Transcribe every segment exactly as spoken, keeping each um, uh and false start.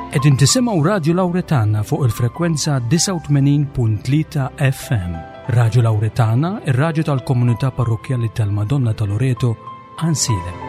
Qegħdin tisimgħu Radio Lauretana fuq il-frekwenza disgħa u tmenin punt tlieta F M. Radio Lauretana, ir-radju tal-komunità parrokkjali tal-Madonna ta' Loreto, Għajnsielem.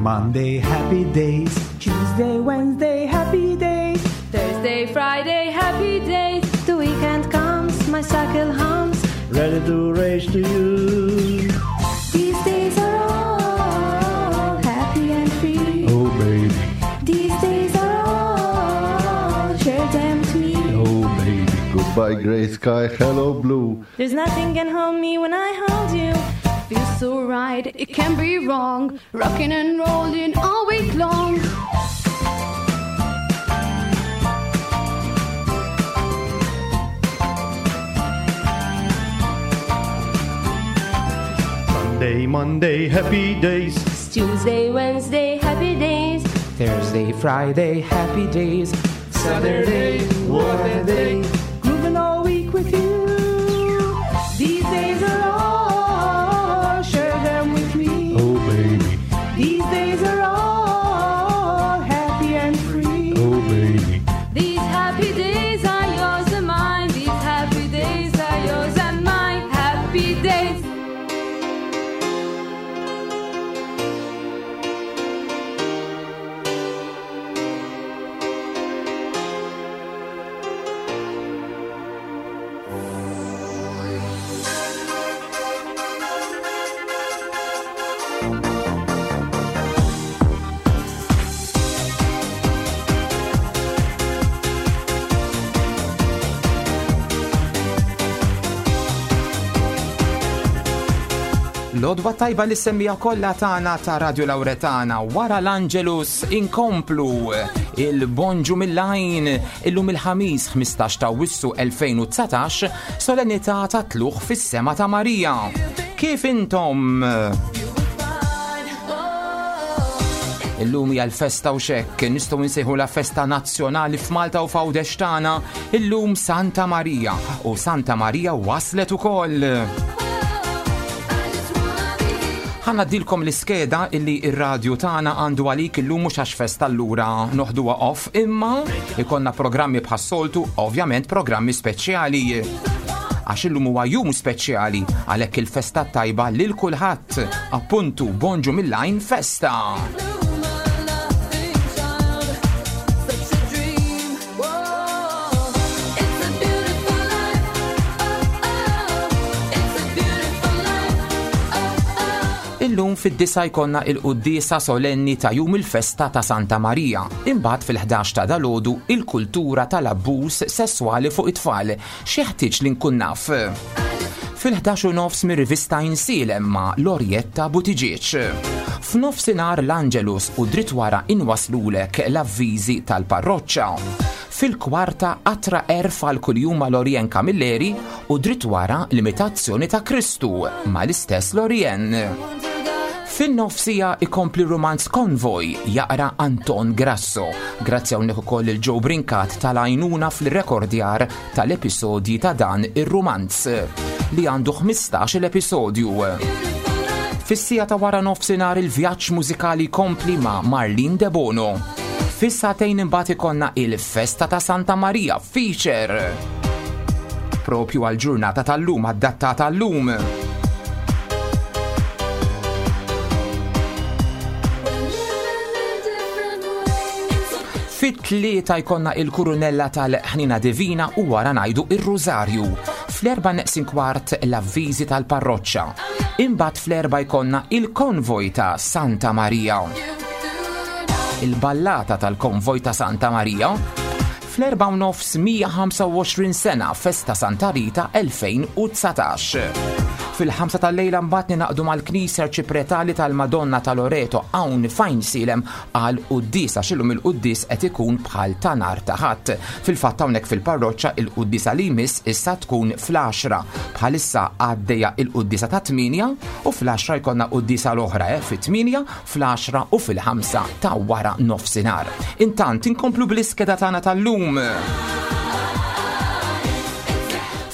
Monday, happy days. Tuesday, Wednesday, happy days. Thursday, Friday, happy days. The weekend comes, my cycle hums. Ready to race to you. These days are all happy and free. Oh, baby. These days are all, share them to me. Oh, baby. Goodbye, gray sky, hello, blue. There's nothing can hold me when I hold you. Feels so right, it can't be wrong. Rocking and rolling all week long. Sunday, Monday, happy days. It's Tuesday, Wednesday, happy days. Thursday, Friday, happy days. Saturday, what a day. Grooving all week with you. These days are all, share them with me. Oh, baby. These days are all happy and free. Oh, baby. These happy days are yours and mine. These happy days are yours and mine. Happy days. L-għodwa tajba li semmija kollha tagħna ta' Radio Lauretana wara l-Angelus inkomplu il-bonġu mill-għajn illum il-ħamis ħmistax ta' Awwissu elfejn u dsatax solennità ta' tluħ fis-sema ta' Marija. Kif intom? Illum hija l-festa u xekk, nistgħu nsejħu la festa nazzjonali f'Malta u f'Għawdex tagħna, illum Santa Marija u Santa Marija waslet ukoll. Ħa ngħaddilkom l-iskeda illi ir-radju tagħna għandu għalik illum mhux għax festa allura noħduha off, imma ikollna programmi bħas-soltu, ovvjament programmi speċjali. Għax illum huwa jum speċjali, għalhekk il-festa tajba lil kulħadd. Appuntu, bonġu mill-għajn festa. Illum fid-disa jkollna il-quddiesa solenni ta' jum il-festa ta' Santa Marija. Imbagħad fil-ħdax ta' dalgħodu il-kultura tal-abbuż sesswali fuq it-tfal. X'jeħtieġ li nkun naf? Fil-ħdax u nofs mir-rivista Għajnsielem ma' Lorietta Buttigieg. F'nofsinhar l-Angelus u dritt wara inwaslulek l-avviżi tal-parroċċa. Fil-kwarta qatra erf għal kuljum ma' Lorien Camilleri u dritt wara l-imitazzjoni ta' Kristu ma' l-istess Lorien. Fin-nofsija ikompli romanz Konvoj jaqra Anton Grasso. Grazzi hawnhekk ukoll il Joe Brincat tal-għajnuna fil-rekordjar tal-episodji ta' dan ir-romanz li għandu ħmistax-il episodju. Fis-sija ta' wara nofsinhar il-vjaġġ mużikali kompli ma' Marlene De Bono. Fis-sagħtejn imbagħad ikollna il-festa ta' Santa Marija feature. Propju għal-ġurnata tal-lum, adattata tal-lum. Fit-tlieta jkollna il-kurunella tal-ħnina divina u wara ngħidu ir-Rużarju. Fl-erba' neqsin kwart l-avviżi tal-parroċċa. Imbagħad fl-erba' jkollna il-konvoj ta' Santa Marija. Il-ballata tal-konvoj ta' Santa Marija. Fl-erba' u nofs mija ħamsa u għoxrin sena festa Santa Rita elfejn u dsatax. Fil-ħamsa tal-lejla mbagħad ninaqdu mal-Knisja Arċipretali tal-Madonna ta' Loreto hawn f'Għajnsielem għal quddiesa x'illum il-quddies qed ikun bħal ta' nhar ta' Ħadd. Fil-fatt hawnhekk fil-parroċċa il-quddiesa li jmiss issa tkun fl-għaxra. Bħalissa għaddejja il-quddiesa ta' tmienja u fl-għaxra jkollna quddiesa l-oħra eh, fit-tmienja, fl-għaxra u fil-ħamsa ta' wara nofsinhar. Intant inkomplu bl-iskeda tagħna tal-lum.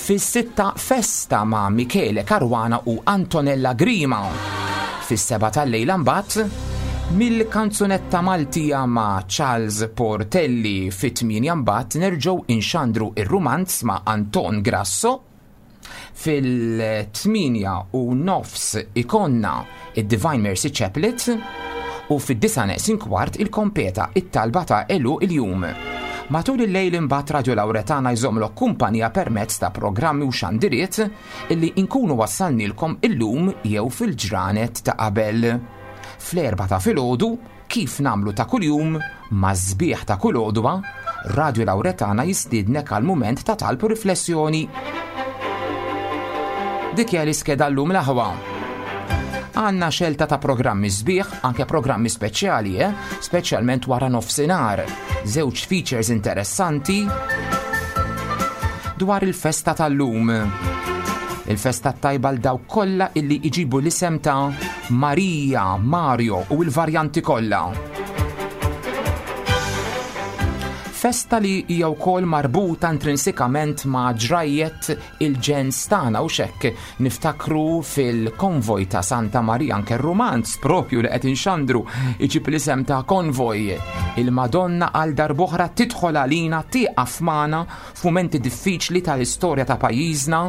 Fis-sitta festa ma' Michele Caruana u Antonella Grima. Fis-seba tal-lejla mbagħad mill-kanzunetta Maltija ma' Charles Portelli. Fit-tmienja mbagħad nerġgħu inxandru ir-rumanz ma' Anton Grasso. Fil-tmienja u nofs ikonna id-Divine Mercy Chaplet u fid-disa neqsin kwart il-kompeta it-talba ta' elu il-jum. Matul il-lejl imbagħad Radio Lauretana jżommlok kumpanija permezz ta' programmi u xandiriet illi inkunu wassalnilkom illum jew fil-ġranet ta' qabel. Fl-erba ta' filgħodu, kif namlu ta' kuljum, ma' sbieħ ta' kull għodwa, Radio Lauretana jistiednek għal mument ta' talb u riflessjoni. Dik hija l-iskeda llum l-aħwa. Għanna xelta ta' programmi sbieħ, anke programmi speċjali, eh? Speċjalment wara nofsinhar. Żewġ features interessanti dwar il-festa tal-lum. Il-festa tajba l dawk kollha illi iġibu l-isem ta' Maria, Mario u l-varjanti kollha. Festa li hija wkoll marbuta intrinsikament ma' ġrajjet il-ġens tagħna u xekk niftakru fil-konvoj ta' Santa Maria, anke r-rumanz propju li qed inxandru iġib l-isem ta' konvoj. Il-Madonna għal darb'oħra tidħol għalina, tieqaf magħna f'mumenti diffiċli tal-istorja ta' pajjiżna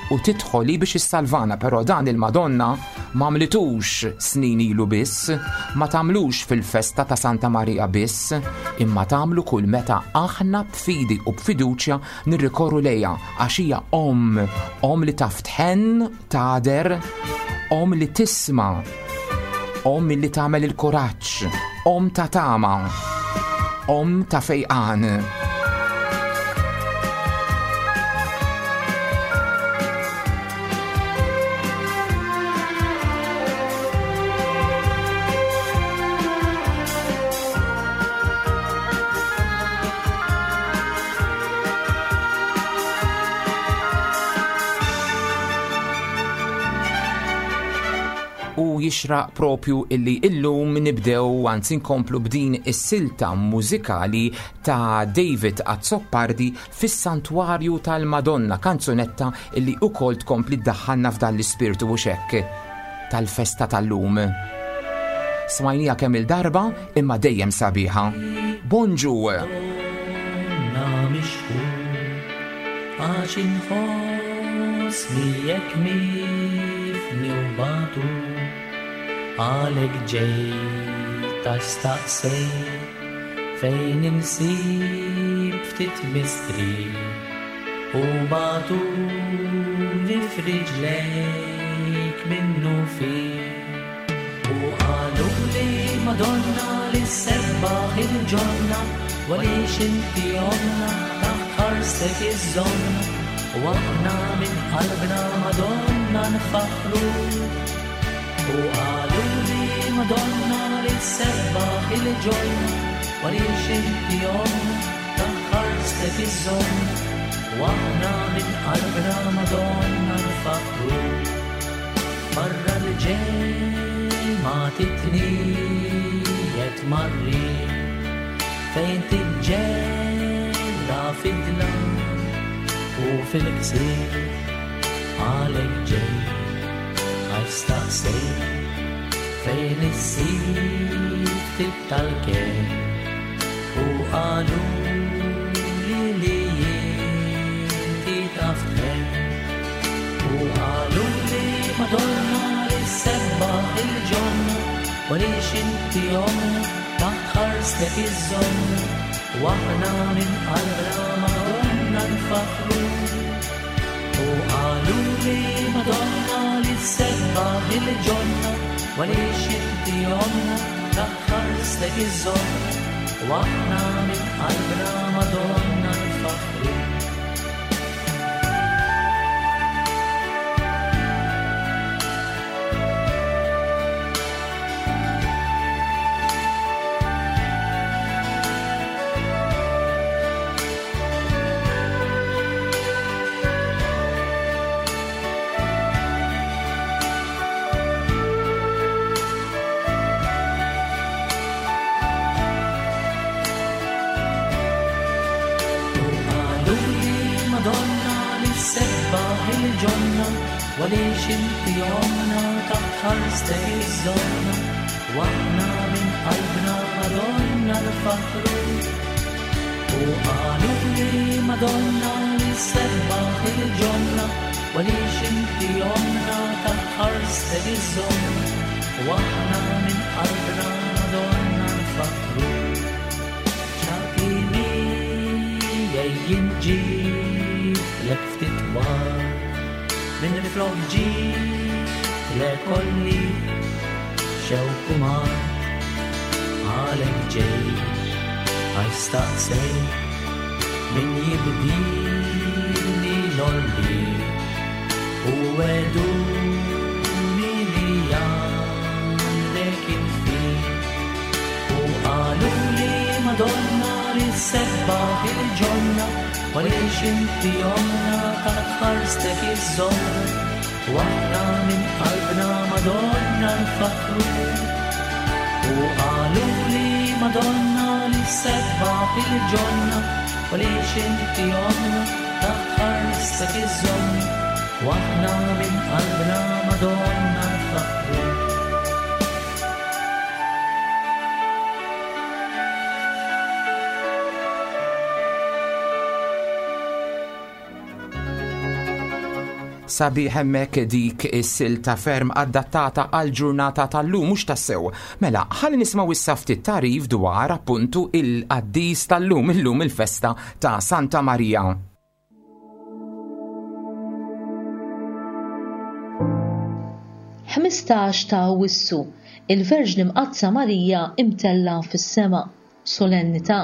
u tidħoli biex issalvana, però dan il-Madonna ma għamlitux snin ilu biss, ma tagħmlux fil-festa ta' Santa Maria biss, imma tagħmlu kull meta aħna b'fidi u b'fiduċja nirrikorru lejha, għax hija omm, omm li taf tħenn, tagħder, omm li tisma', omm li tagħmel il-kuraġġ, omm ta' tama, omm ta' fejqan. U jixraq propju illi illum nibdew, anzi nkomplu b'din is-silta mużikali ta' David Azzopardi fis-Santwarju tal-Madonna, kanzunetta illi ukoll tkompli ddaħħalna f'dan l-ispirtu u xekk tal-festa tal-lum. Smajnija kemm il-darba imma dejjem sabiħa. Bonġu! Għax inħossni jekk mifni u batu, għalek ġejt għax staqsejt fejn insib ftit mistri u batu li f'riġlejk minnu fi. U qalu li Madonna li sebbaħ il-ġonna, għaliex inti omna taħt ħarstek iż-żonna, u aħna minn qalbna Madonna nfaħru. U qalu li Madonna li sebbaħ il-ġonna, għaliex inti omna taħt ħarstek iż-żonna, u aħna minn qalbna Madonna nfaħru. Barra l-ġemgħa titniet marri fejn tiġġella fid-dlam u fil-ksir, għalek ġej għax staqsejt fejn issir ftit tal-ken, u qalu li li inti taf tħenn. U qalu li Madonna li sebbaħ il-ġonna, għaliex inti omna taħt ħarstek iż-żonna, u aħna minn qalbna Madonna nfaħru. U qalu li Madonna li sebbaħ il-ġonna, għaliex inti omna taħt ħarstek iż-żonna, u aħna minn qalbna Madonna nfaħru. Madonna, għaliex inti omna taħt ħarstek iżżommna, u aħna minn qalbna Madonna nfaħħru. U qalu li Madonna li sebbaħ il-ġonna, għaliex inti omna taħt ħarstek iżżommna, u aħna minn qalbna Madonna nfaħħru. Ċaqi miegħi jinġib lek ftit war, minn flok ġib lek olli xewk u mar, għalek ġej għaj staqsej min jibdini l-olli u għeduni li għandek infi. U qalu li Madonna li sebbaħ il-ġonna, għaliex inti omna taħt ħarstek iżżommna, u aħna minn qalbna Madonna nfaħħru. U qalu li Madonna li sebbaħ il-ġonna, għaliex inti omna taħt ħarstek iżżommna, u aħna minn qalbna Madonna nfaħħru. Sabiħ hemmhekk dik is-silta ferm adattata għal ġurnata tal-lum mhux tassew. Mela, ħalli nismgħu issa ftit tagħrif dwar appuntu il-qaddis tal-lum, illum il-festa ta' Santa Marija. Ħmistax ta' Awwissu, il-Verġni Mqaddsa Marija imtella fis-sema, solennità.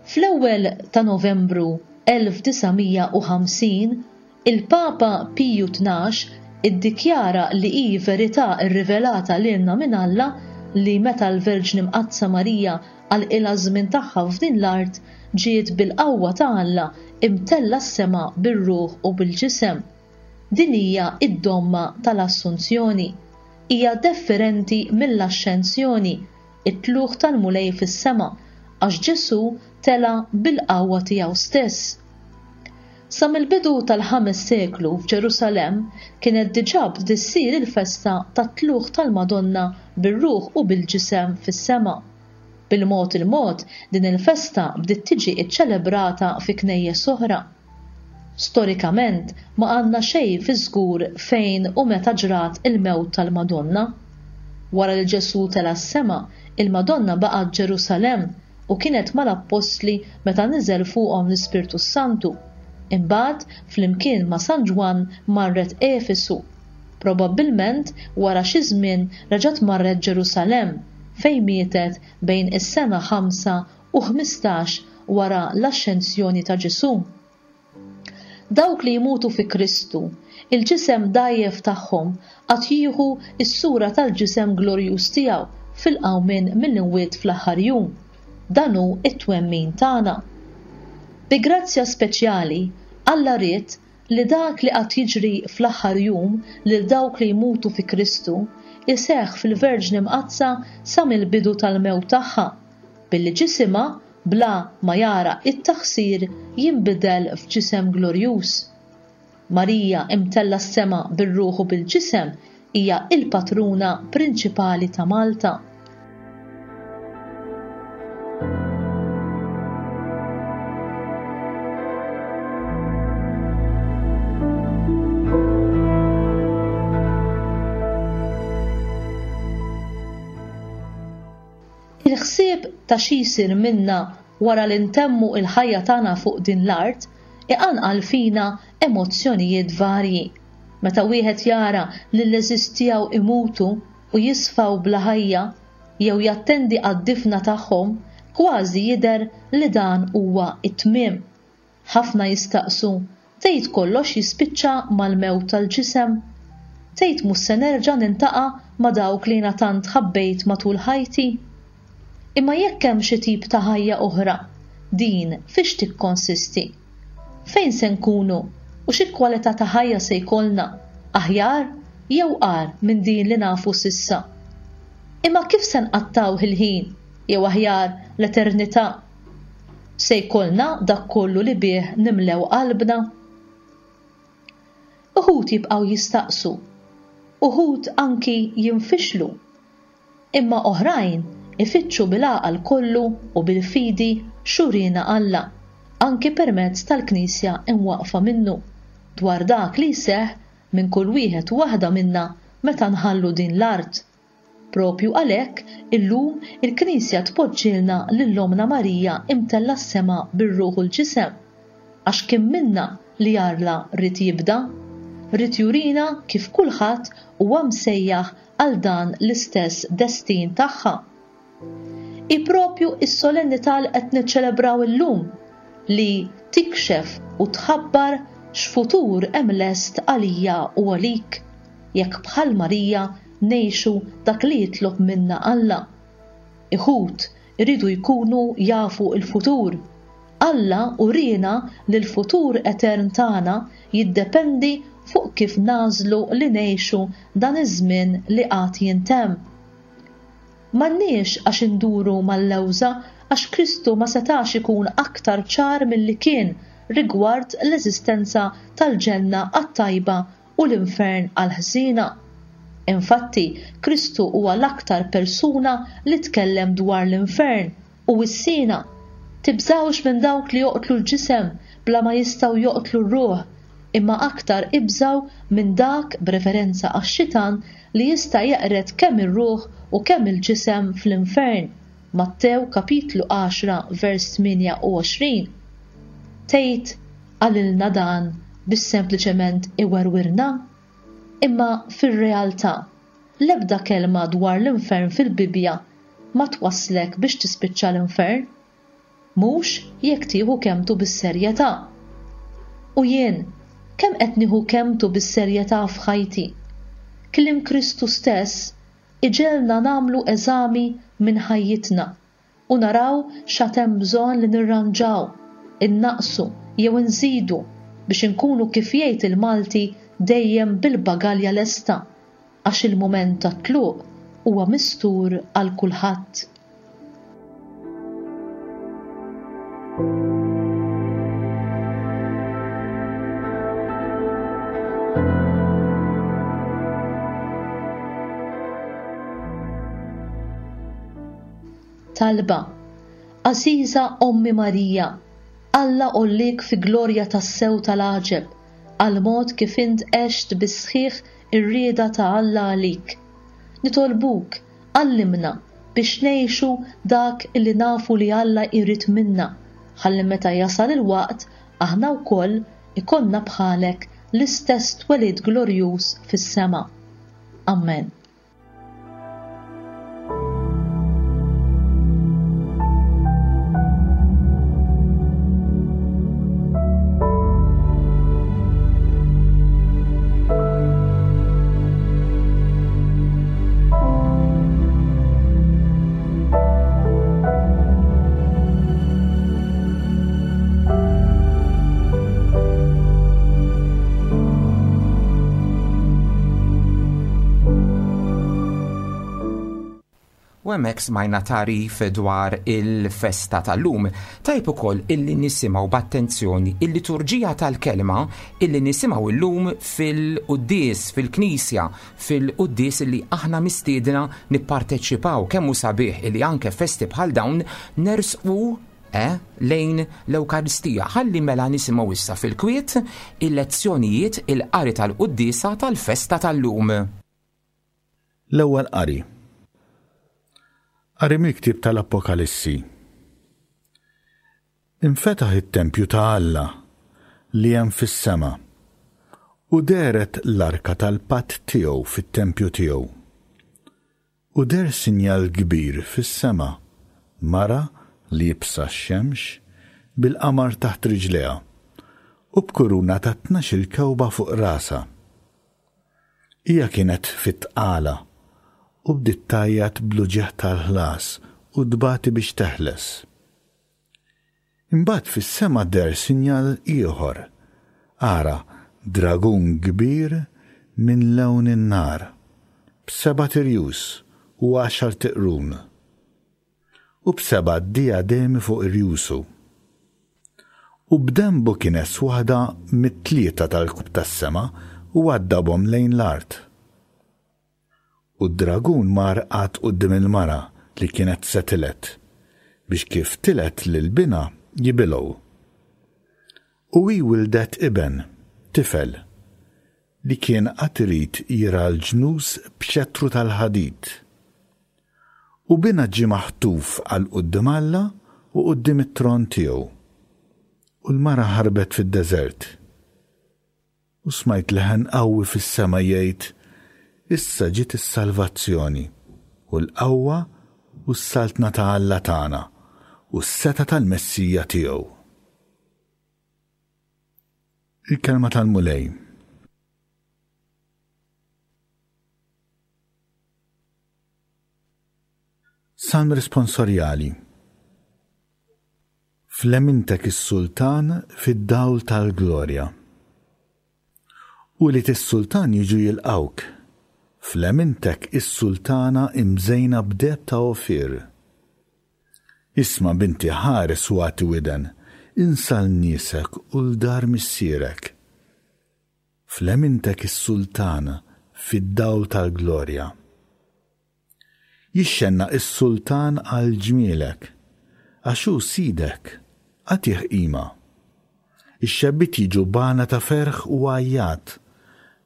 Fl-ewwel ta' Novembru elf disa' mija u ħamsin, il-Papa Piju tnax iddikjara li hi verità rrivelata lilna minn Alla li meta l-Verġni Mqaddsa Marija għalqilha żmien tagħha f'din l-art ġiet bil-qawwa ta' Alla imtella s-sema bir-ruħ u bil-ġisem. Din hija id-domma tal-Assunzjoni. Hija differenti mill-Axxensjoni, it-tlugħ tal-Mulej fis-sema, għax Ġesù tela bil-qawwa tiegħu stess. Sa mill-bidu tal-ħames seklu f'Ġerusalemm kienet diġà bdiet issir il-festa tat-tlugħ tal-Madonna bir-ruħ u bil-ġisem fis-sema. Bil-mod il-mod din il-festa bdiet tiġi ċċelebrata fi knejjes oħra. Storikament ma għandna xejn fi żgur fejn u meta ġrat il-mewt tal-Madonna. Wara li Ġesù tela' s-sema, il-Madonna baqgħet Ġerusalemm u kienet mal-Appostli meta niżel fuqhom l-Ispirtu Santu. Imbagħad flimkien ma' San Ġwann marret Efesu. Probabbilment wara xi żmien reġgħet marret Ġerusalemm fejn mietet bejn is-sena ħamsa u ħmistax wara l-Axxensjoni ta' Ġesù. Dawk li jmutu fi Kristu, il-ġisem dgħajjef tagħhom għad jieħu s-sura tal-ġisem glorjuż tiegħu fil-qawmien mill-imwiet fl-aħħar jum. Dan hu t-twemmin tagħna. Bi grazzja speċjali, Alla ried li dak li qatt jiġri fl-aħħar jum lil dawk li jmutu fi Kristu iseħħ fil-Verġni Mqaddsa sa mill-bidu tal-mewt tagħha, billi ġisimha bla ma jara it-taħsir jinbidel f'ġisem glorjuż. Marija imtella s-sema bir-ruħ u bil-ġisem hija il-patruna prinċipali ta' Malta. Il-ħsieb ta' xi jsir minna wara li ntemmu il-ħajja tagħna fuq din l-art iqanqal fina emozzjonijiet varji. Meta wieħed jara li l-għeżież tiegħu imutu u jisfaw bla ħajja jew jattendi għad-difna tagħhom, kważi jidher li dan huwa t-tmiem. Ħafna jistaqsu, tgħid kollox jispiċċa mal-mewt tal-ġisem? Tgħid mhux se nerġa' nintaqa' ma' dawk li jiena tant ħabbejt matul ħajti? Imma jekk hemm xi tip ta' ħajja oħra, din fiex tikkonsisti? Fejn se nkunu u xi kwalità ta' ħajja se jkollna, aħjar jew agħar minn din li nafu s'issa? Imma kif se nqattaw il-ħin jew aħjar l-eternità? Se jkollna dak kollu li bih nimlew qalbna? Uħud jibqgħu jistaqsu, uħud anki jinfixlu. Imma oħrajn ifittxu bil-għaqal kollu u bil-fidi x'uriena Alla, anki permezz tal-Knisja imwaqqfa minnu, dwar dak li jseħħ minn kull wieħed u waħda minna meta nħallu din l-art. Propju għalhekk illum il-Knisja tpoġġilna lil Ommna Marija imtella' s-sema bir-ruħ u l-ġisem, għax kien minna li Alla ried jibda, ried jurina kif kulħadd huwa msejjaħ għal dan l-istess destin tagħha. Hi propju s-solennità li qed niċċelebraw illum li tikxef u tħabbar x'futur hemm lest għalija u għalik, jekk bħal Marija ngħixu dak li jitlob minna Alla. Iħut iridu jkunu jafu l-futur. Alla urina li l-futur etern tagħna jiddependi fuq kif nagħżlu li ngħixu dan iż-żmien li qatt jintemm. M'għandniex għax induru mal-lewża għax Kristu ma setax ikun aktar ċar milli kien rigward l-eżistenza tal-ġenna għat-tajba u l-infern għall-ħżiena. Infatti, Kristu huwa l-aktar persuna li tkellem dwar l-infern u wissiena. Tibżgħux minn dawk li joqtlu l-ġisem bla ma jistgħu joqtlu r-ruħ, imma aktar ibżgħu minn dak b'referenza għax-xitan li jista' jeqred kemm ir-ruħ u kemm il-ġisem fl-infern. Mattew kapitlu għaxra vers tmienja u għoxrin. Tgħid qalilna dan biex sempliċement iwerwirna? Imma fir-realtà, l-ebda kelma dwar l-infern fil-Bibbja ma twasslek biex tispiċċa l-infern. Mhux jekk tieħu kemmtu bis-serjetà. U jien, kemm qed nieħu kemmtu bis-serjetà f'ħajti? Kliem Kristu stess iġegħelna nagħmlu eżami minn ħajjitna u naraw x'għad hemm bżonn li nirranġaw, innaqsu jew inżidu biex inkunu kif jgħid il-Malti dejjem bil-bagalja lesta, għax il-mument tat-tluq huwa mistur għal kulħadd. Talba. Għażiża Ommi Marija, Alla għollik fi glorja tas-sew tal-għaġeb, għal mod kif int għext bis-sħiħ ir-rieda ta' Alla għalik. Nitolbuk, għallimna biex ngħixu dak illi nafu li Alla jrid minna, ħalli meta jasal il-waqt aħna wkoll ikollna bħalek l-istess twelid glorjuż fis-sema. Amen. U hemmhekk smajna tagħrif dwar il-festa tal-lum. Tajb ukoll illi nisimgħu b'attenzjoni il-liturġija tal-kelma illi nisimgħu llum fil-quddies, fil-knisja, fil-quddies illi aħna mistiedna nipparteċipaw. Kemm hu sabiħ illi anke festi bħal dawn nersqu eh, lejn l-Ewkaristija. Ħalli mela nisimgħu issa fil-kwiet il-lezzjonijiet il-qari tal-quddiesa tal-festa tal-lum. L-ewwel qari. Qari mill-ktieb tal-Apokalissi. Infetaħ it-tempju ta' Alla li hemm fis-sema u dehret l-arka tal-patt tiegħu fit-tempju tiegħu. U deher sinjal kbir fis-sema, mara li jibsa x-xemx bil-qamar taħt riġlejha u b'kuruna ta' tnax-il kewba fuq rasha. Hija kienet fit-tqala u bdiet tgħajjat bl-uġigħ tal-ħlas u tbati biex teħles. Imbagħad fis-sema deher sinjal ieħor. Ara dragun kbir minn lewn in-nar, b'seba' tirjus u għaxar tiqrun, u b'seba' diademi fuq irjusu. U b'dembu kienes waħda mit-tlieta tal-kub tas-sema u waddabhom lejn l-art. U d-dragun mar qagħad quddiem il-mara li kienet se tiled, biex kif tiled lil binha jibilgħu. U hi wildet iben, tifel, li kien għad irid jirgħa l-ġnus b'xettru tal-ħadid. U binha ġie maħtuf għal quddiem Alla u quddiem it-tron tiegħu. U l-mara ħarbet fid-deżert. U smajt leħen qawwi fis-sema jgħid, Issa ġiet is-salvazzjoni u l-qawwa u s-saltna ta' Alla tagħna u s-setgħa tal-Messija tiegħu. Il-kelma tal-Mulej. Salm responsorjali. F'lemintek is-sultan fid-dawl tal-glorja. Ulied is-sultan jiġu jilqgħuk. F'lemintek is-sultana imżejna b'deheb ta' Ofir. Isma' binti ħares u agħti widen, insa 'l niesek u 'l dar missierek. F'lemintek is-sultan fid-dawl tal-glorja. Jixxennaq is-sultan għal ġmielek, għax hu sidek, agħtih qima. Ix-xebbiet jiġu b'għana ta' ferħ u għajjat,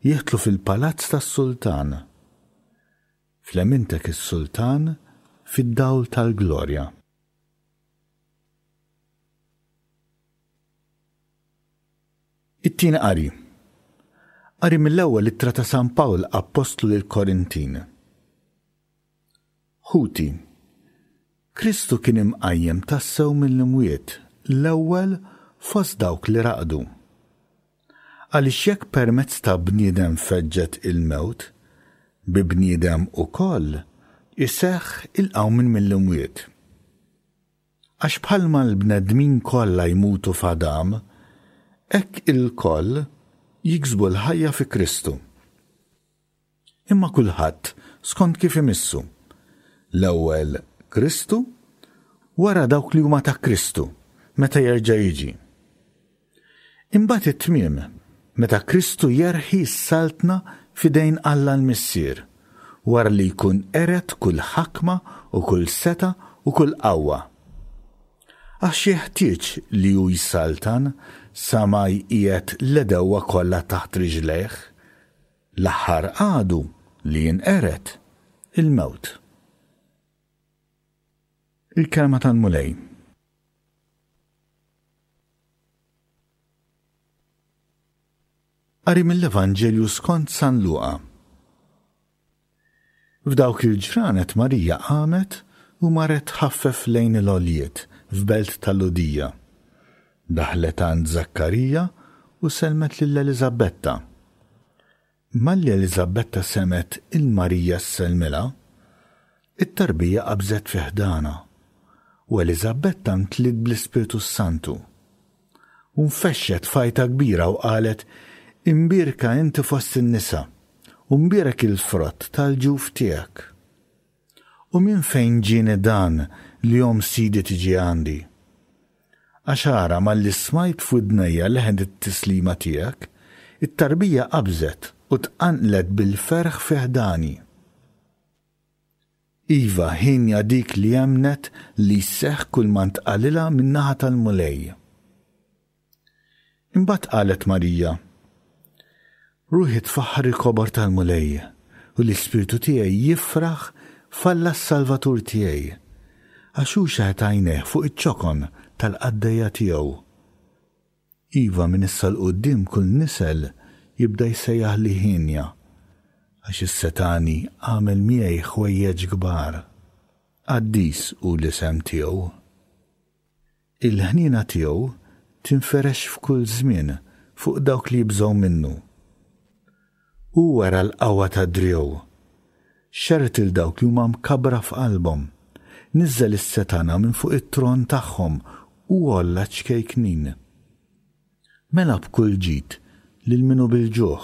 jidħlu fil-palazz tas-sultan. F'lemintek is-sultan fid-dawl tal-glorja. It-tieni qari. Qari mill-ewwel ittra ta' San Pawl Appostlu lill-Korintin. Ħuti, Kristu kien imqajjem tassew mill-imwiet, l-ewwel fost dawk li raqdu. Għaliex jekk permezz ta' bniedem feġġet il-mewt, bi bniedem ukoll iseħħ il-qawmien mill-imwiet. Għax bħalma l-bnedmin kollha jmutu f'Adam, hekk ilkoll jiksbu l-ħajja fi Kristu. Imma kulħadd skont kif imissu. L-ewwel Kristu, wara dawk li huma ta' Kristu, meta jerġa' jiġi. Imbagħad it-tmiem, meta Kristu jerħi s-saltna f'idejn Alla l-Missier, wara li jkun qered kull ħakma u kull setgħa u kull qawwa. Għax jeħtieġ li hu jsaltan sa ma jqiegħed l-għedewwa kollha taħt riġlejh. L-aħħar għadu li jinqered, il-mewt. Il-kelma tal-Mulej. Qari mill-Evanġelju skont San Luqa. F'dawk il-ġranet Marija qamet u marret tħaffef lejn il-għoljiet f'belt tal-Lhudija. Daħlet għand Żakkarija u sellmet lil Eliżabetta. Malli Eliżabetta semgħet 'il Marija ssellmilha, it-tarbija qabżet fi ħdanha, u Eliżabetta mtliet bl-Ispirtu s-Santu. U nfexxet f'għajta kbira u qalet, Imbierka inti fost in-nisa, u mbierek il-frott tal-ġuf tiegħek. U minn fejn ġieni dan li omm Sidi tiġi għandi? Għax ara, malli smajt f'widnejja leħen it-tislima tiegħek, it-tarbija qabżet u tqanqlet bil-ferħ fi ħdani. Iva, hienja dik li emmnet li jseħħ kull ma ntqalilha min-naħa tal-Mulej. Imbagħad qalet Marija, Ruħi tfaħħar il-kobor tal-Mulej, u l-ispirtu tiegħi jifraħ f'Alla s-Salvatur tiegħi, għax hu xeħet għajnejh fuq iċ-ċokon tal-qaddejja tiegħu. Iva, minn issa 'l quddiem kull nisel jibda jsejjaħli hienja, għax is-setgħani għamel miegħi ħwejjeġ kbar. Qaddis hu l-isem tiegħu. Il-ħniena tiegħu tinferex f'kull żmien fuq dawk li jibżgħu minnu. Hu wera l-qawwa ta' driegħu. Xerred 'il dawk li huma mkabbra f'qalbhom. Niżżel is-setgħana minn fuq it-tron tagħhom u għolla ċ-ċkejknin. Mela b'kull ġid lil min hu bil-ġuħ,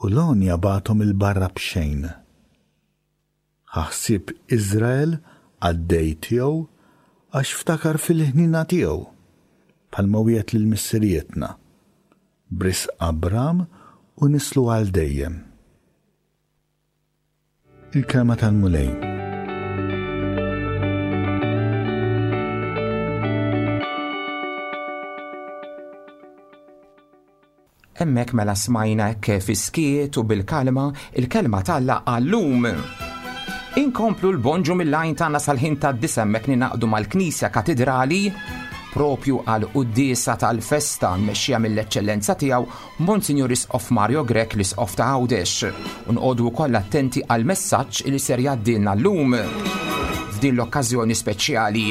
u l-għonja bagħathom 'il barra b'xejn. Ħa ħsieb Iżrael qaddej tiegħu għax ftakar fil-ħniena tiegħu, bħalma wiegħed lil missirijietna, b'risq Abram u nislu għal dejjem. Il-kelma tal-Mulej. Hemmhekk mela smajna hekk fis-skiet u bil-kalma il-kelma t'Alla għallum. Inkomplu l-bonġu mill-lajn tagħna sal-ħin tad-disgħa hemmhekk ninaqdu mal-Knisja Katidrali propju għal quddiesa tal-festa mmexxija mill-eċċellenza tiegħu Monsinjur Isqof Mario Grech l-Isqof ta' Għawdex. U nqogħdu wkoll attenti għal messaġġ li ser jgħaddilna llum f'din l-okkażjoni speċjali.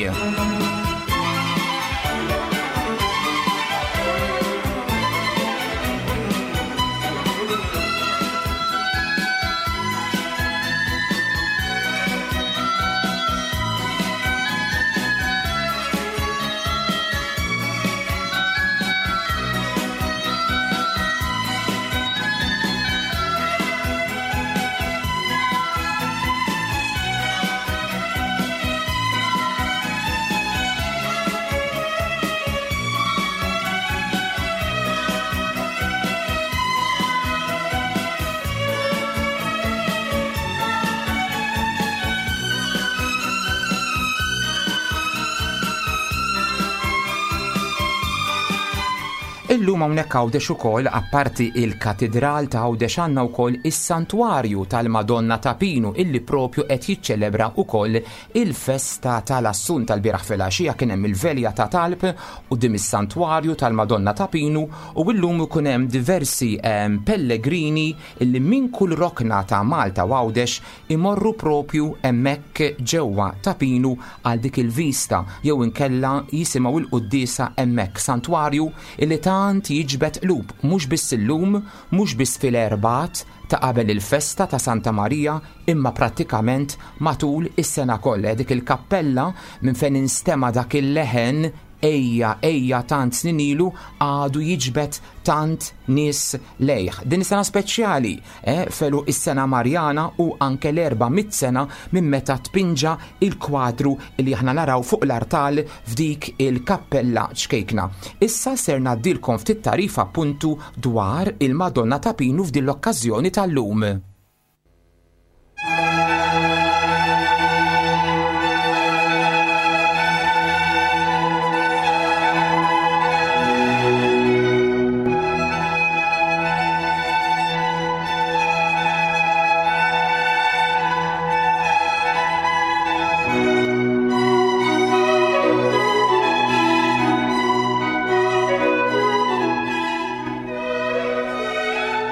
Illum hawnhekk Għawdex ukoll apparti il-Katidral ta' Għawdex għandna wkoll is-Santwarju tal-Madonna ta' Pinu illi propju qed jiċċelebra wkoll il-festa tal-Assunta. Tal-bieraħ filgħaxija kien hemm il-velja ta' talb quddiem is-Santwarju tal-Madonna ta' Pinu u llum ikun hemm diversi, ehm, pellegrini illi minn kull rokna ta' Malta u Għawdex imorru propju hemmhekk ġewwa ta' Pinu għal dik il-vista jew inkella jisimgħu il-quddiesa hemmhekk. Santwarju illi tant jiġbed qlub mhux biss illum, mhux biss fil-erbat ta' qabel il-festa ta' Santa Marija, imma prattikament matul is-sena kollha. Dik il-kappella minn fejn instema' dak il-leħen ejja, ejja tant snin ilu għadu jiġbed tant nies lejh. Din is-sena speċjali, eh, felu is-sena Marjana u anke l-erba' mitt sena minn meta tpinġa il-kwadru li aħna naraw fuq l-artal f'dik il-kappella ċkejkna. Issa ser ngħaddilkom ftit tarif appuntu dwar il-Madonna ta' Pinu f'din l-okkażjoni tal-lum.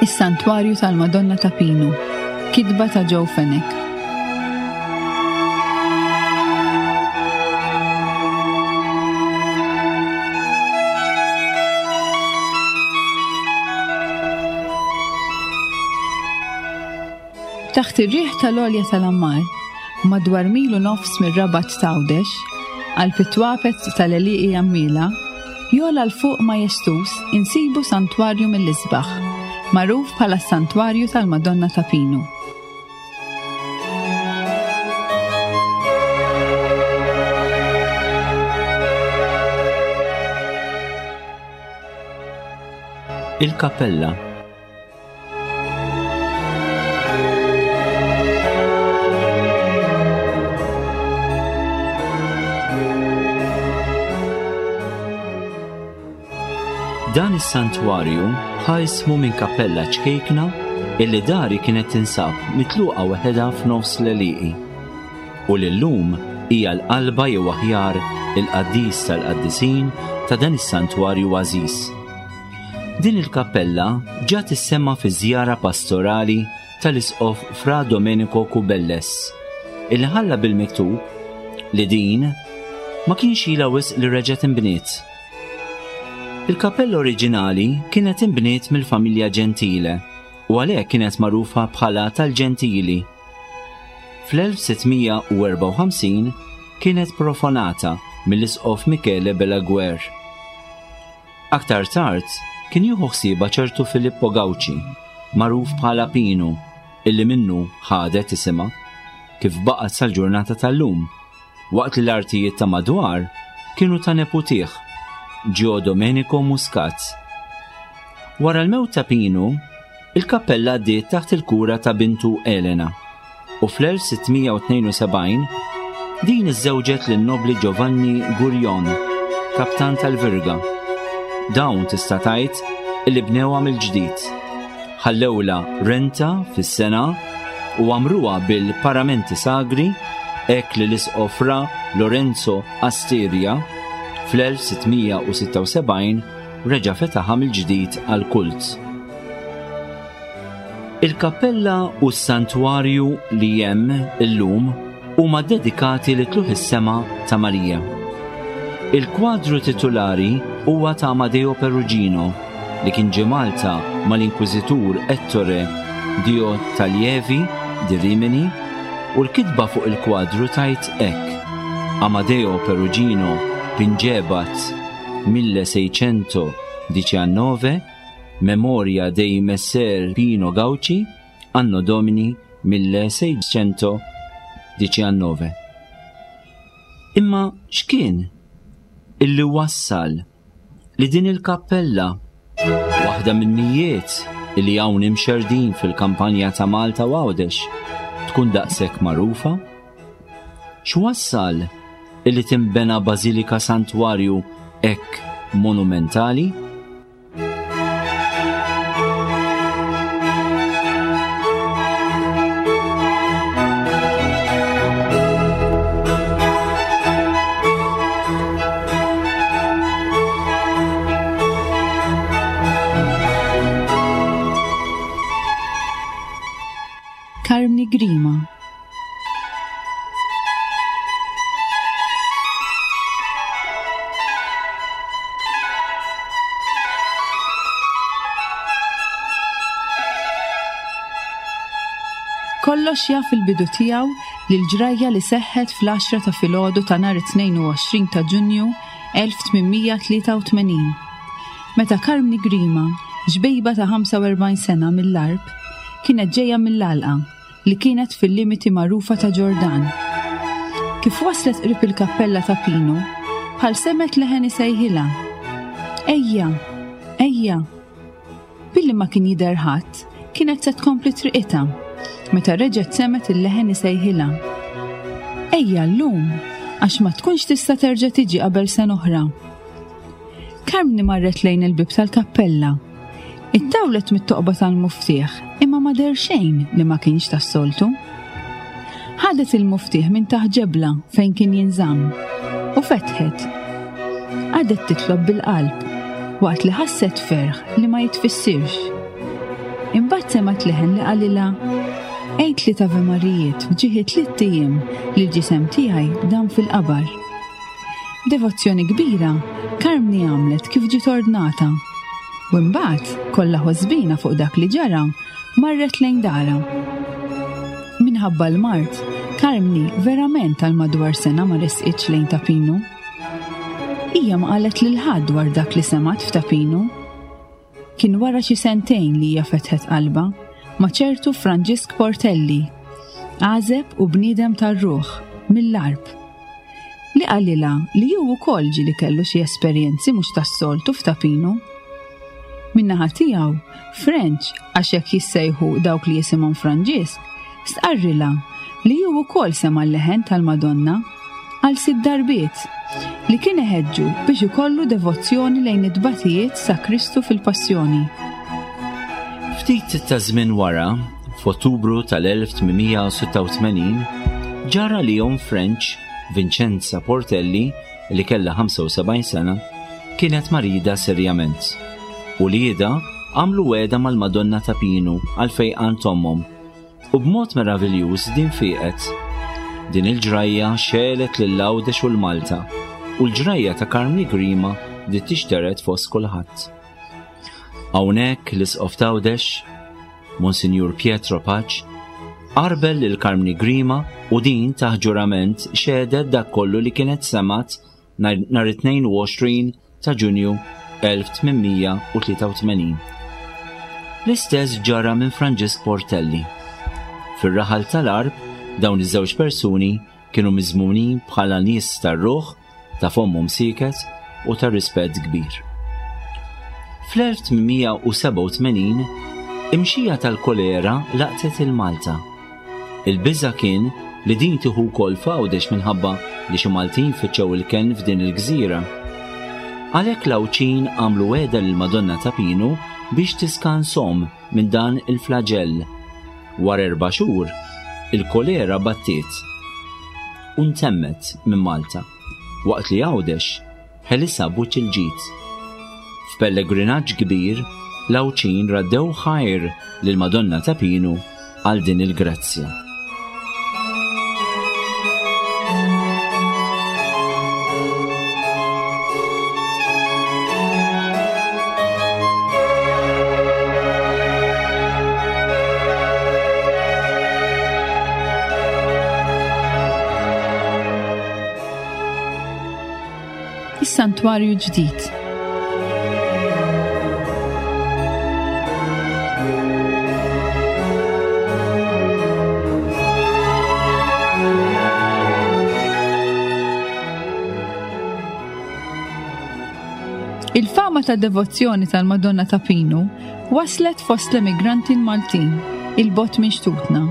Is-Santwarju tal-Madonna ta' Pinu, kitba ta' Joe Fenech. Taħt ir-riħ tal-għolja tal-Ammar, madwar mil u nofs mir-Rabat ta' Għawdex, għal pitwapet tal-Għelieqi Għammiela, jola l fuq majestuż insibu santwarju mill-isbaħ, magħruf bħala s-Santwarju tal-Madonna ta' Pinu. Il-Kappella. Dan is-santwarju ħa ismu minn kappella ċkejkna illi dari kienet tinsab mitluqa waħedha f'nofs l-għelieqi u li llum hija l-qalba jew aħjar il-qaddis tal-qaddisin ta' dan is-santwarju għażiż. Din il-kappella ġa tissemma fi żjara pastorali tal-Isqof Fra Domenico Cubelles illi ħalla bil-miktub li din ma kienx ilha wisq li reġgħet inbniet. Il-kappella oriġinali kienet inbniet mill-familja Gentile u għalhekk kienet magħrufa bħala tal-Ġentili. Fl-elf sittmija u erbgħa u ħamsin kienet profanata mill-Isqof Michele Belaguer. Aktar tard kien jieħu ħsiebha ċertu Filippo Gauci, magħruf bħala Pinu, illi minnu ħadet isimha, kif baqgħet sal-ġurnata tal-lum, waqt li l-artijiet ta' madwar kienu ta' neputih, Gio Domenico Muscat. Wara l-mewt ta' Pinu, il-kappella għaddiet taħt il-kura ta' bintu Elena u fl-elf sitt mija u tnejn u sebgħin din iżżewġet lin-nobli Giovanni Gurion, kaptan tal-Virga. Dawn tista' tgħid illi bnewha mill-ġdid. Ħallewla renta fis-sena u għamruha bil-paramenti sagri hekk li l-isqof Fra Lorenzo Asteria fl-elf sitt mija u sitta u sebgħin reġa' fetaħha mill-ġdid għall-kult. Il-kappella u s-santwarju li hemm illum huma dedikati li tluħ is-sema ta' Marija. Il-kwadru titulari huwa ta' Amadeo Perugino li kien ġie Malta mal-Inkwiżitur Ettore Dio Talievi di Rimini u l-kitba fuq il-kwadru tajt hekk: Amadeo Perugino pingebat mille seicento diciannove Memoria dei Messer Pino Gauci, anno Domini mille seicento diciannove. Imma x'kien illi wassal li din il-kappella, waħda minn mijiet illi hawn imxerdin fil-kampanja ta' Malta u Għawdex, tkun daqshekk magħrufa? X'wassal illi timbena bażilika santwarju hekk monumentali? Karmni Grima. Kollox jaf il-bidu tiegħu lil ġrajja li seħħet fl-għaxra ta' filgħodu ta' nhar it-tnejn u għoxrin ta' Ġunju elf tmien mija tlieta u tmenin. Meta Karmni Grima, ġbejba ta' ħamsa u erbgħin sena mill-Għarb, kienet ġejja mill-għalqa li kienet fil-limiti magħrufa ta' Ġordan. Kif waslet qrib il-kappella ta' Pinu, bħal semet leħen isejħilha. Ejja, ejja. Billi ma kien jidher ħadd, kienet se tkompli triqitha, meta reġgħet semet il-leħen isejħilha. Ejja llum, għax ma tkunx tista' terġa' tiġi qabel sena oħra. Karmni marret lejn il-bib tal-kappella. Ittawlet mit-toqba tal-muftieħ, imma ma der xejn li ma kienx tas-soltu. Ħadet il-muftieħ minn taħt ġebla fejn kien jinżamm u fetħet. Għadet titlob bil-qalb waqt li ħasset ferħ li ma jitfissirx. Imbagħad semgħet leħen li qalilha: Għid li ta' Marijiet f'ġieħi tliet ijiem li l-ġisem tiegħi dam fil-qabar. Devozzjoni kbira, Karmni għamlet kif ġiet ordnata. U mbagħad, kollha ħosbina fuq dak li ġara, marret lejn dara. Minħabba l-mard, Karmni verament għal madwar sena ma resqitx lejn Ta' Pinu. Hija ma qalet lil ħadd dwar dak li semgħet f'Ta' Pinu. Kien wara xi sentejn li hija fetħet qalbha ma' ċertu Franġisk Portelli, għażeb u bniedem tar-ruħ mill-Għarb, li qalilha li hu wkoll ġieli kellu xi esperjenzi mhux tas-soltu f'Ta' Pinu. Min-naħa tiegħu, French, għax hekk jissejħu dawk li jisimhom Franġisk, stqarrilha li hu wkoll sema' l-leħen tal-Madonna għal sitt darbiet li kien iħeġġu biex ikollu devozzjoni lejn it-tbatijiet sa' Kristu fil-Passjoni. Ftit ta' żmien wara, f'Ottubru tal-elf tmien mija u sitta u tmenin, ġara li omm French, Vincenza Portelli, li kellha ħamsa u sebgħin sena, kienet marida serjament. U li jida għamlu wegħda mal-Madonna ta' Pinu għal fejqan tommhom. U b'mod meraviljuż din fieqet. Din il-ġrajja xelet lil Għawdex u l-Malta, u l-ġrajja ta' Karmni Grima bdiet tixteret fost kulħadd. Hawnhekk l-Isqof t'Għawdex, Monsinjur Pietro Pace, qarbel lil Karmni Grima u din taħt ġurament xehdet dak kollu li kienet semat nar, nhar it-tnejn u għoxrin ta' Ġunju elf tmien mija u tlieta u tmenin. L-istess ġara minn Franġisk Portelli. Fir-raħal tal-Għarb, dawn iż-żewġ persuni kienu miżmunin bħala nies tar-ruħ, ta' fommhom sieket u ta' rispett kbir. Fl-elf tmien mija u sebgħa u tmenin, Imxija tal-kolera laqtet il-Malta. Il-biża' kien li din tieħu wkoll f'Għawdex minħabba li xi Maltin fittxew il-kenn f'din il-gżira. Għalhekk l-Għawdxin għamlu wegħda lill-Madonna ta' Pinu biex tiskanshom minn dan il-flaġell. Wara erba' xhur, il-kolera battiet u ntemmet minn Malta, waqt li Għawdex ħelisha b'wiċċ il-ġid. F'pellegrinaġġ kbir, l-Għawdxin raddew ħajr lill-Madonna ta' Pinu għal din il-grazzja. Is-Santwarju ġdid. Il-fama ta' devozzjoni tal-Madonna ta' Pinu waslet fost l-emigranti Maltin il-bot minn xtutna.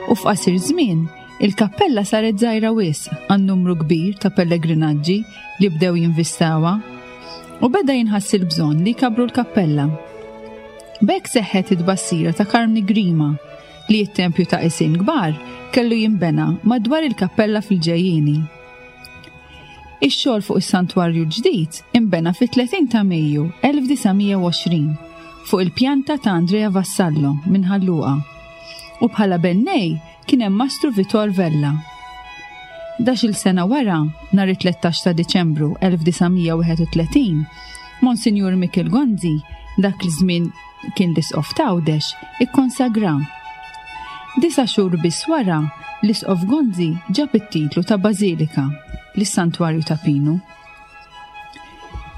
U f'qasir żmien, il-kappella saret żgħira wisq għan numru kbir ta' pellegrinaġġi li bdew jinvistawha u beda jinħass il-bżonn li jkabru l-kappella. B'hekk seħħet it-tbassira ta' Karmni Grima li t-tempju ta' Isin Kbar kellu jinbena madwar il-kappella fil-ġejjieni. Ix-xogħol fuq is-santwarju ġdid inbena fit-tletin ta' Mejju elf disa' mija u għoxrin fuq il-pjanta ta' Andrea Vassallo minn Ħal Luqa u bħala bennej kien hemm Mastru Vitor Vella. Ħdax-il sena wara, nhar it-tlettax ta' Diċembru elf disa' mija u wieħed u tletin, Monsinjur Mikiel Gonzi, dak l-żmien kien l-Isqof t'Għawdex, ikkonsagra. Disa' xhur biss wara, l-Isqof Gonzi ġab it-titlu ta' Bażilika lis-Santwarju ta' Pinu.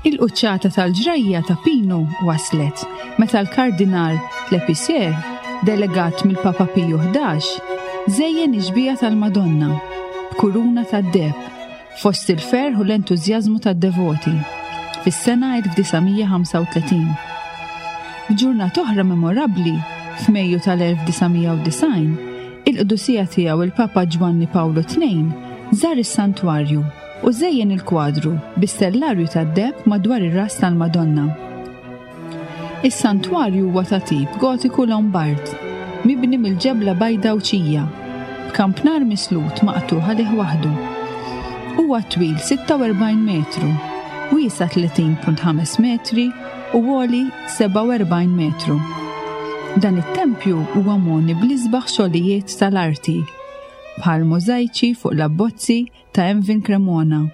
Il-quċċata tal-ġrajja ta' Pinu waslet meta l-Kardinal Lepicier, delegat mill-Papa Piju ħdax, żejjen ix-xbieha tal-Madonna b'kuruna tad-deheb fost il-ferħ u l-entużjażmu tad-devoti fis-sena elf disa' mija ħamsa u tletin. F'ġurnata oħra memorabbli, f'Mejju tal-elf disa' mija u disgħin, il-qdusija tiegħu il-Papa Ġwanni Pawlu tnejn żar is-santwarju u żejjen il-kwadru bi-stellarju tad-deheb madwar ir-ras tal-Madonna. Is-santwarju huwa ta' tip gotiku Lombard, mibni mill-ġebla bajda Għawdxija, b'kampnar mislut maqtugħ għalih waħdu. Huwa twil sitta u erbgħin metru, wiesa' tletin punt ħames metri u għoli sebgħa u erbgħin metru. Dan it-tempju huwa moni bl-isbaħ xogħlijiet tal-arti, bħal możajċi fuq l-abbozzi ta' Emvin Cremona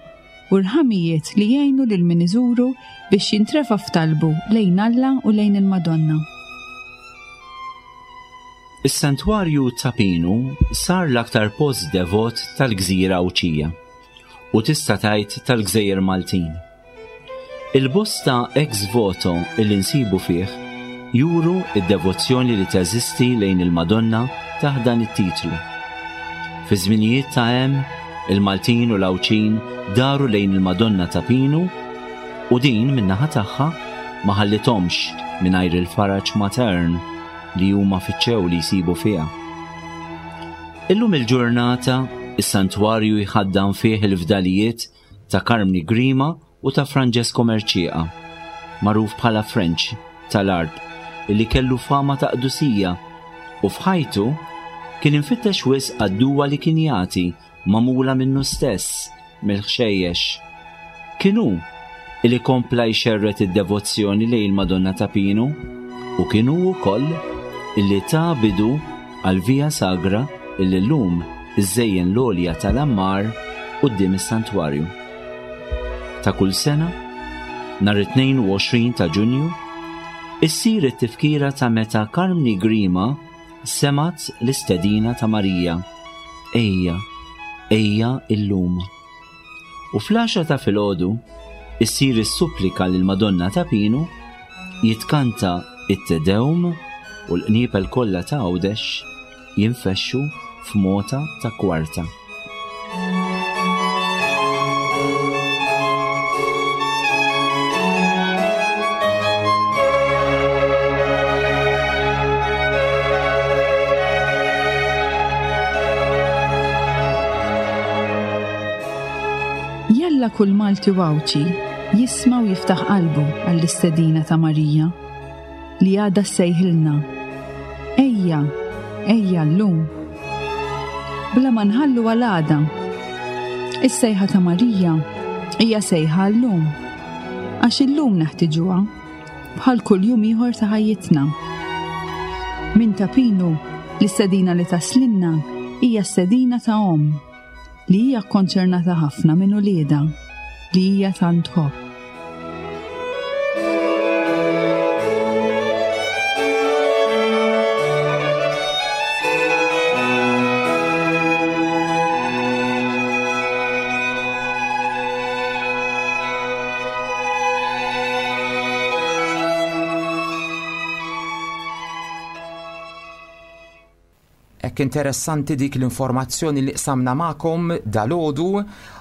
u rħamijiet li jgħinu lil min iżuru biex jintrefa' f'talbu lejn Alla u lejn il-Madonna. Is-Santwarju ta' Pinu sar l-aktar post devot tal-Gżira Għawdxija u tista' tgħid tal-Gżejjer Maltin. Il-bosta ex voto li nsibu fih juru id-devozzjoni li teżisti lejn il-Madonna taħt dan it-titlu. Fi żminijiet ta' hemm, il-Maltin u l-Għawdxin daru lejn il-Madonna ta' Pinu u din min-naħa tagħha ma ħallithomx mingħajr il-faraġ matern li huma fittxew li jsibu fiha. Illum il-ġurnata, is-santwarju jħaddan fih il-fdalijiet ta' Karmni Grima u ta' Francesco Mercieca, magħruf bħala French tal-Għarb, illi kellu fama ta' qdusija u f'ħajtu kien infittex wisq għad-duwa li kien jagħti magħmula minnu stess mill-ħxejjex. Kien hu illi kompla jxerred id-devozzjoni lejn il-Madonna ta' Pinu u kien hu wkoll illi ta' bidu għal Via Sagra illi llum iżejjen l-għolja tal-Ammar quddiem is-santwarju. Ta' kull sena, nhar it-tnejn u għoxrin ta' Ġunju, issir it-tifkira ta' meta Karmni Grima semat l-istedina ta' Marija, Ejja, ejja illum. U fl-għaxra ta' filgħodu issir is-supplika lil Madonna ta' Pinu, jitkanta it-Te Deum u l-qniepel kollha ta' Għawdex jinfexxu f'mota ta' kwarta. Jalla kull Malti u Għawdxi jisma' u jiftaħ qalbu għall-istedina ta' Marija li għadha ssejħilna. Ejja, ejja llum. Bla ma nħallu għal għada. Is-sejħa ta' Marija hija sejħa llum. Għax illum neħtiġuha bħal kull jum ieħor ta' ħajjitna. Minn Ta' Pinu, l-istedina li taslinna hija stedina ta' omm li hija konċernata ħafna minn uliedha li hija tant tħobb. Hekk interessanti dik l-informazzjoni li qsamna magħkom dalgħodu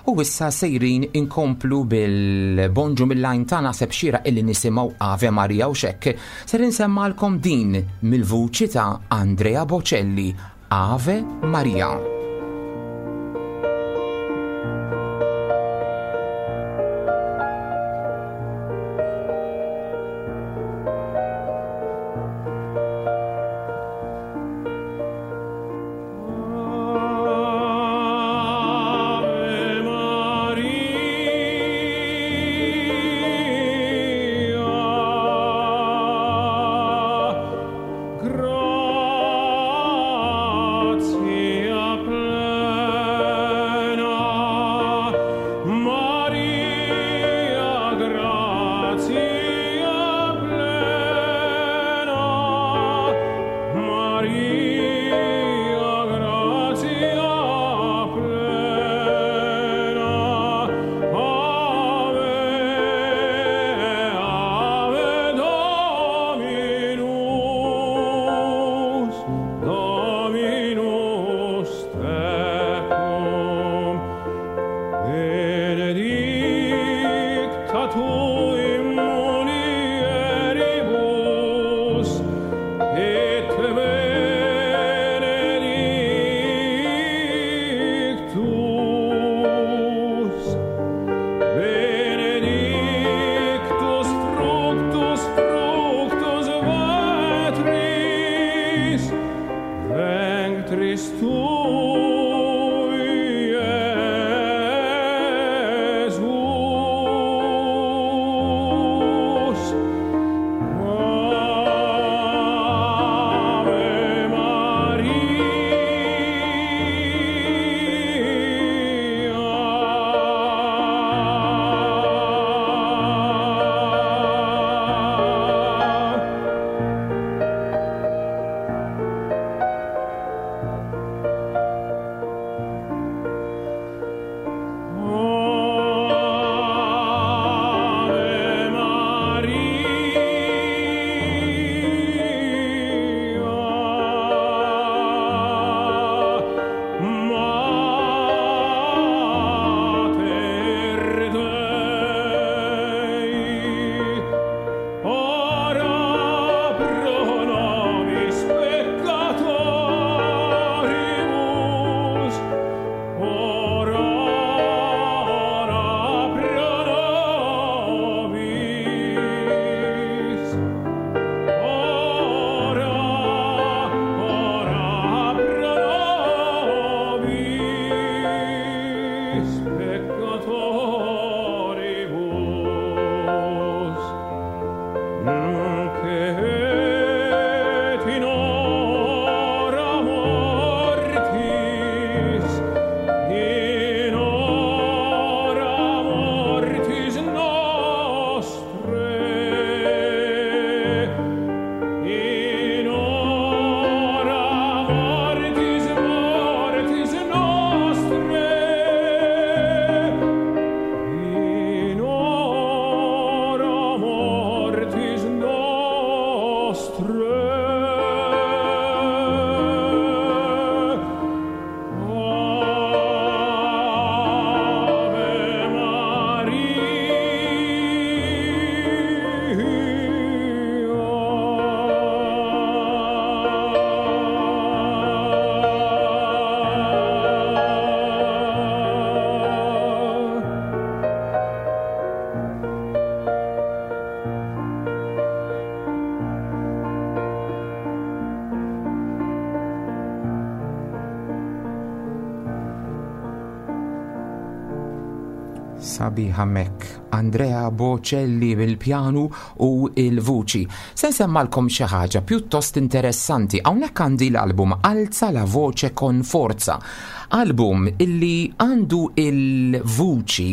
u issa sejrin inkomplu bil-bonġu mill-lajn tagħna seb xieraq illi nisimgħu Ave Maria u xekk. Ser insemmalkom din mill-vuċi ta' Andrea Bocelli, Ave Maria. Ave Maria, gratia plena, Maria, gratia plena, Maria, gratia plena, Ave, Ave Dominus, Dominus tecum, benedicta tu in mulieribus, et benedictus, benedictus fructus fructus ventris, ventris tui, Iesus. Ave Maria. Sabiħa mek, Andrea Bocelli bil-pjanu u il-vuċi. Se nsemmalkom xi ħaġa pjuttost interessanti. Hawnhekk għandi l-album Alza la voce con forza. Album illi għandu il-vuċi,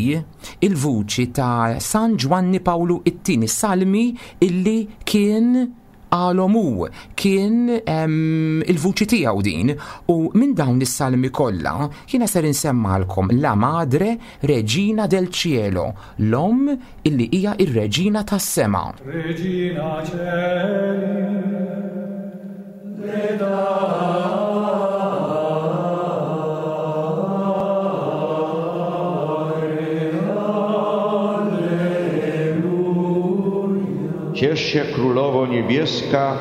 il-vuċi ta' San Giovanni Paolo it-tieni, salmi illi kien għalhom hu, kien em, il-vuċi tiegħu din, u minn dawn is-salmi kollha jiena ser insemmalkom La Madre Regina del Cielo, l-om illi hija ir-reġina tas-sema. Regina Celi, Ciesz się, Królowo Niebieska,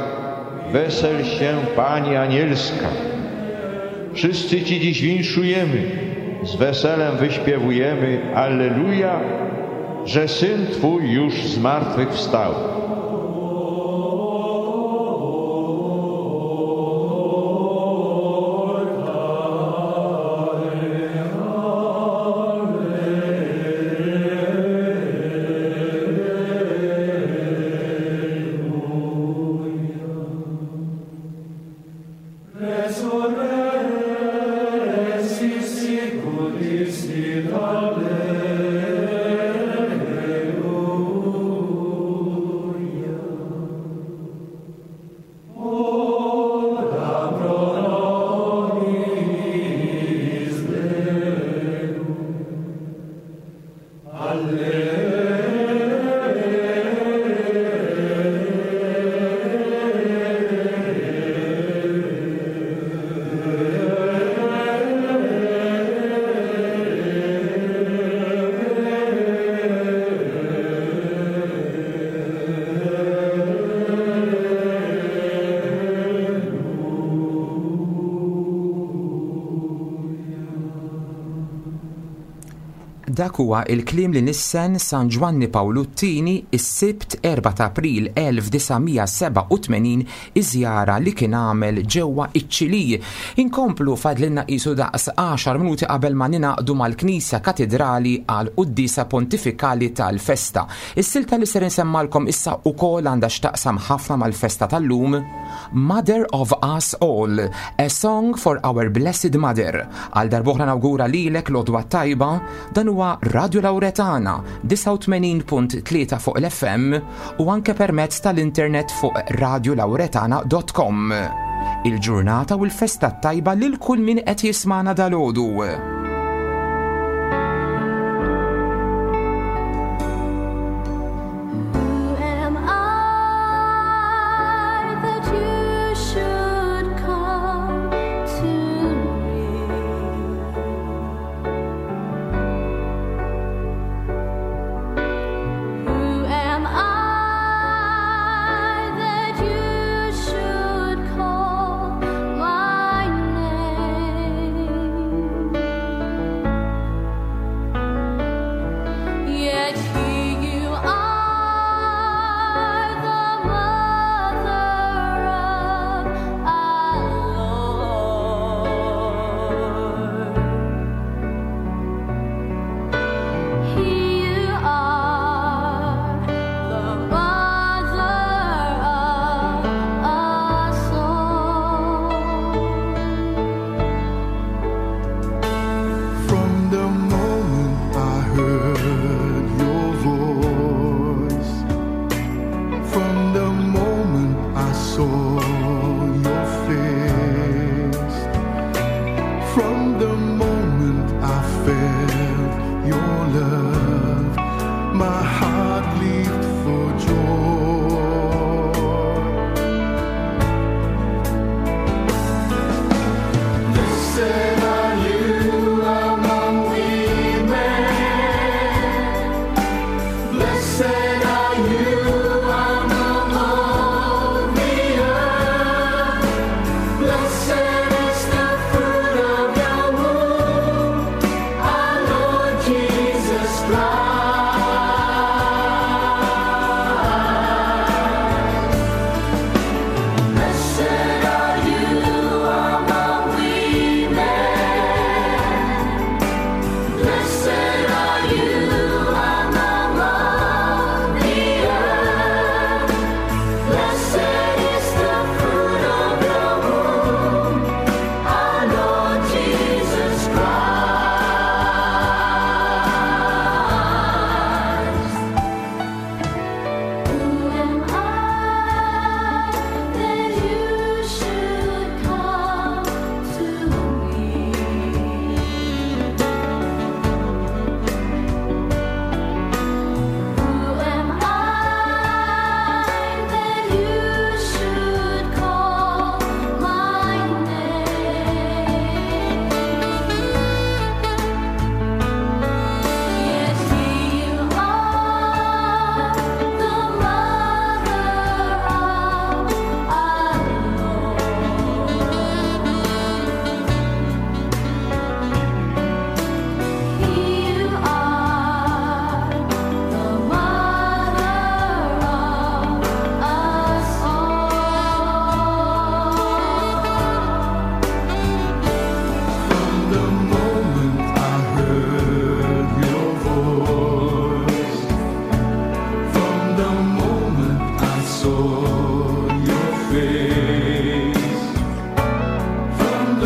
wesel się, Pani Anielska. Wszyscy Ci dziś winszujemy, z weselem wyśpiewujemy Alleluja, że Syn Twój już z martwych wstał. Dak huwa il-kliem li nissen San Ġwanni Pawlu t-tieni is-Sibt erba' ta' April elf disa' mija seba' u tmenin iż-żjara li kien għamel ġewwa iċ-Ċili. Inkomplu fadlilna qisu daqs għaxar minuti qabel ma ninaqdu mal-Knisja Katedrali għal Quddiesa Pontifikali tal-Festa. Is-silta li ser insemmalkom issa ukoll għandha x'taqsam ħafna mal-festa tal-lum, Mother of Us All, a Song for Our Blessed Mother. Għal darb'oħra nawgura lilek l-għodwa tajba, dan huwa Radio Lauretana disgħa u tmenin punt tlieta fuq l-F M u anke permezz tal-internet fuq radio lauretana dot com. Il-ġurnata u l-festa tajba lil kull min qed jismana dalgħodu. Jesus Christ.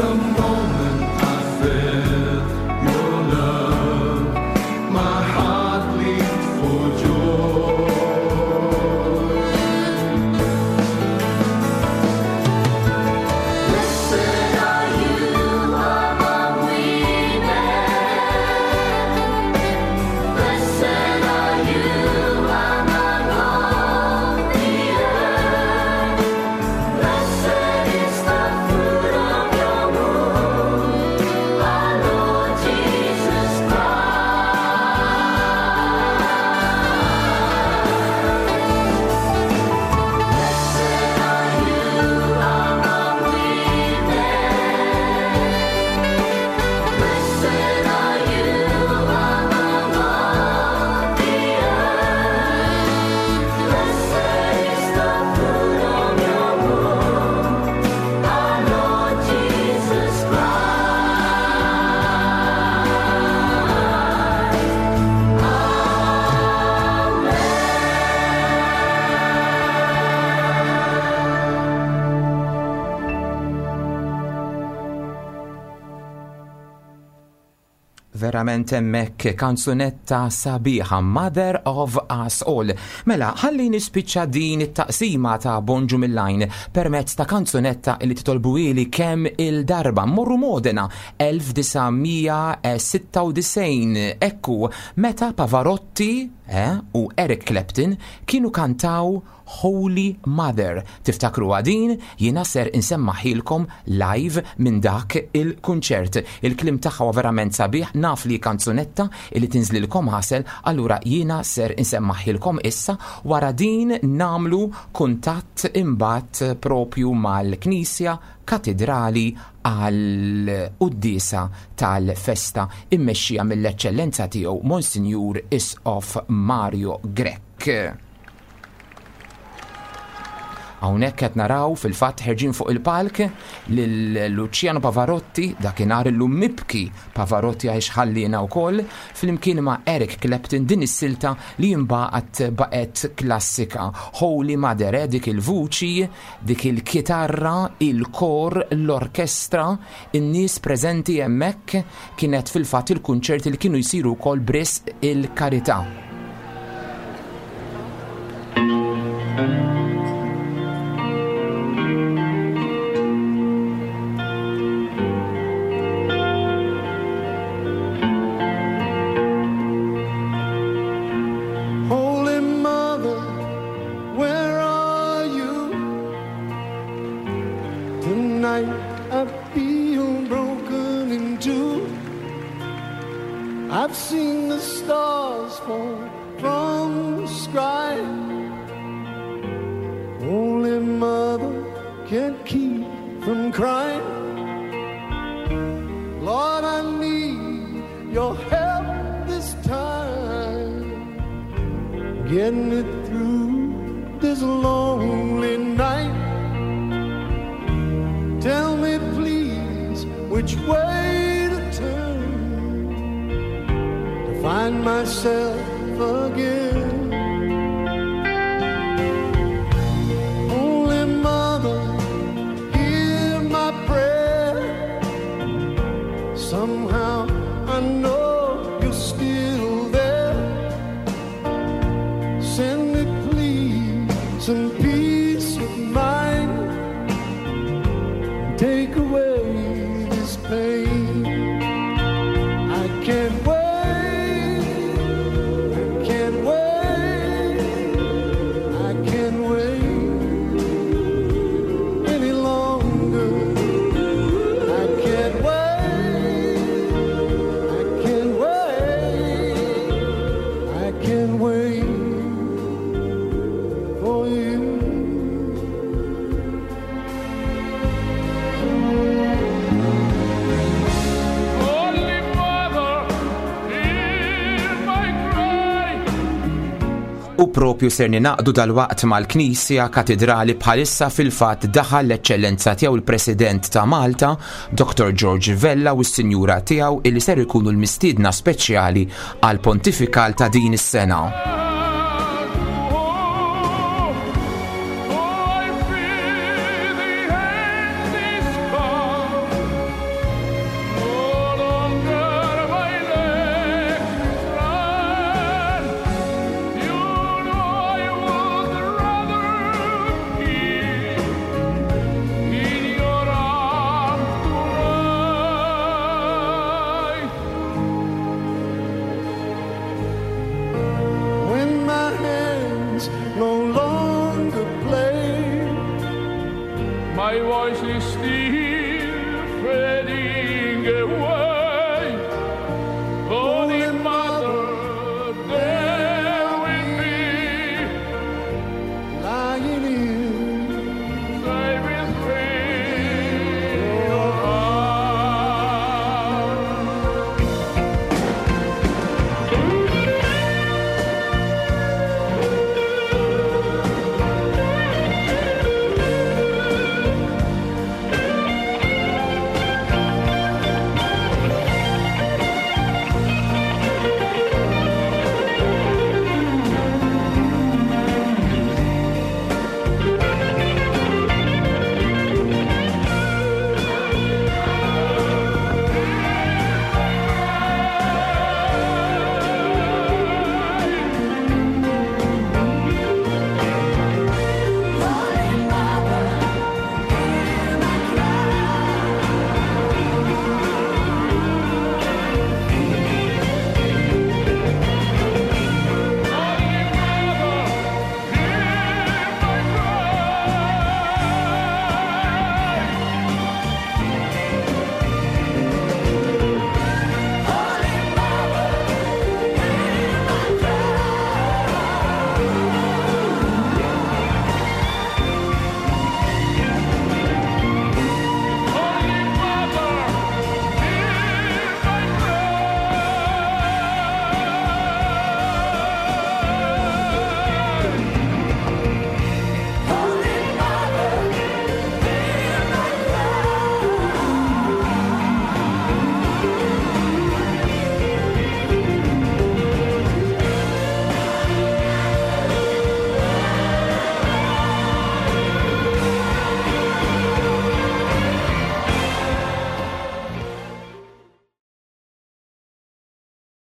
The moment I felt your love, my heart leaped for joy. Blessed are you among women. Blessed are you among all the earth. Blessed is the fruit of your womb, our Lord Jesus Christ. Blessed are you among women. Blessed are you among all the earth. Blessed is the fruit of your womb, our Lord Jesus Christ. Verament hemmhekk kanzunetta sabiħa Mother of Us All. Mela, ħalli nispiċċa din it-taqsima ta' Bonġu mill-Lajn permezz ta' kanzunetta li titolbuhieli kemm il-darba morru Modena elf disa' mija sitta u disgħin, ekku meta Pavarotti eh, u Eric Clapton kienu kantaw Holy Mother. Tiftakru din, jiena ser insemmahielkom live minn dak il-kunċert. Il-kliem tagħha huwa verament sabiħ, naf li kanzunetta li tinżlilkom għasel, allura jiena ser insemmahielkom issa. Wara din nagħmlu kuntatt imbagħad propju mal-Knisja Katedrali għal quddiesa tal-festa immexxija mill-Eċċellenza tiegħu Monsinjur Isqof Mario Grech. Hawnhekk qed naraw fil-fatt ħerġin fuq il-palk lil Luciano Pavarotti, dakinhar illum mibki Pavarotti għax ħallina wkoll, flimkien ma' Eric Clapton, din is-silta li mbagħad baqgħet klassika. Holy Mother, eh, dik il-vuċi, dik il-kitarra, il-kor, l-orkestra, in-nies preżenti hemmhekk, kienet fil-fatt il-kunċerti li kienu jsiru wkoll b'risq il-karità. Holy Mother, where are you? Tonight I feel broken in two. I've seen the stars fall from the sky. Holy Mother, can't keep from crying. Lord, I need your help this time. Get me through this lonely night. Tell me, please, which way to turn to find myself again. Holy Mother, hear my prayer. Somehow I know you're still there. Send me, please, some peace of mind. Take away this pain. I can't wait. I can't wait. I can't wait any longer. I can't wait. I can't wait. I can't wait for you. Holy Mother, hear my cry. U propju ser ninaqdu dalwaqt mal-Knisja Katedrali. Bħalissa fil-fatt daħal l-Eċċellenza tiegħu il-President ta' Malta, Doktor George Vella, u s-Sinjura tiegħu, illi ser ikunu l-mistiedna speċjali għal pontifikal ta' din is-sena. Oh, I fear the end is come. Away.